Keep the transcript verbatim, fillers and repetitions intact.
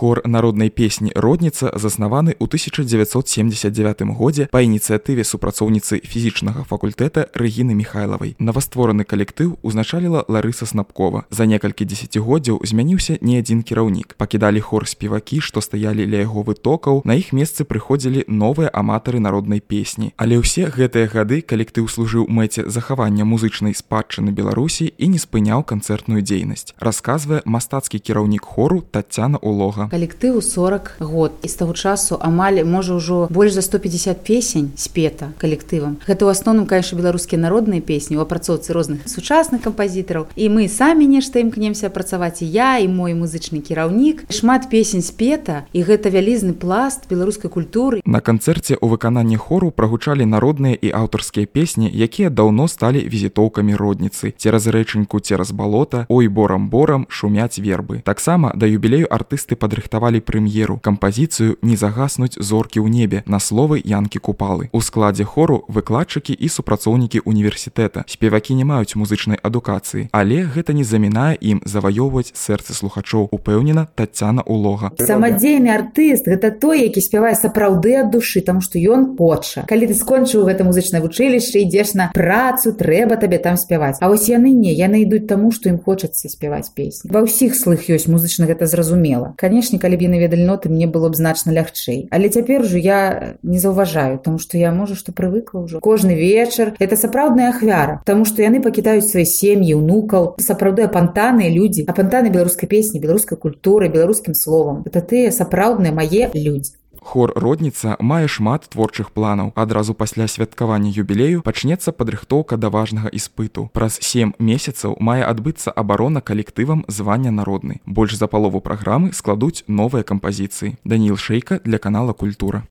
Хор народнай песні «Родніца» заснаваны ў тысяча дзевяцьсот семьдесят девятым годзе па ініцыятыве супрацоўніцы фізічнага факультэта Рэгіны Міхайлавай. Новаствораны калектыў узначаліла Ларыса Снапкова. За некалькі дзесяцігоддзяў змяніўся не адзін кіраўнік. Пакідалі хор спевакі, што стаялі ля яго вытокаў, на іх месцы прыходзілі новыя аматары народнай песні. Але ўсе гэтыя гады калектыў служыў мэце захавання музычнай спадчыны Беларусі і не спыняў канцэртную дзейнасць, расказвае мастацкі кіраўнік хору Таццяна Улога. Калектыву сорок год, і з таго часу амаль можа ўжо больш за сто пятьдесят песень спета калектывам. Гэта ў асноўным, конечно, беларускія народныя песні у апрацоўцы розных сучасных кампазітараў, і мы самі нешта імкнемся працаваць, і я, і мой музычны кіраўнік. Шмат песень спета, і гэта вялізны пласт беларускай культуры. На канцэрце ў выкананні хору прагучалі народныя і аўтарскія песні, якія даўно сталі візітоўкамі родніцы. Цераз рэчаньку, цераз балота, ой борам-борам шумяць вербы. Таксама да юбілею артысты падрыхтавалі прэм'еру, кампазіцыю «Не загаснуць зоркі ў небе» на словы Янкі Купалы. У складзе хору выкладчыкі і супрацоўнікі універсітэта. Спевакі не маюць музычнай адукацыі, але гэта не замінае ім заваёўваць сэрцы слухачоў, упэўнена Таццяна Улога. Самадзейны артыст – гэта той, які спявае сапраўды ад душы, таму што ён хоча. Калі ты скончыў гэта музычнае вучылішча, ідзеш на працу, трэба табе там спяваць. А вось яны не, яны ідуць таму, што ім хочацца спяваць песні. Ва ўсіх слых ёсць музычна гэта зразумела. Канешне, калі б яны ведалі ноты, мне было б значна лягчэй. Але цяпер ужо я не заўважаю, таму што я, можа, што прывыкла ўжо. Кожны вечар – гэта сапраўдная ахвяра, таму што яны пакідаюць свае сем'і, унукаў, сапраўды апантаныя людзі, апантаны беларускай песні, беларускай культуры, беларускім словам. Гэта тыя сапраўдныя мае людзі. Хор «Родніца» мае шмат творчых планаў. Адразу пасля святкавання юбілею пачнецца падрыхтоўка да важнага іспыту. Праз сем месяцаў мае адбыцца абарона калектывам звання народны. Больш за палову праграмы складуць новыя кампазіцыі. Даніл Шэйка для канала «Культура».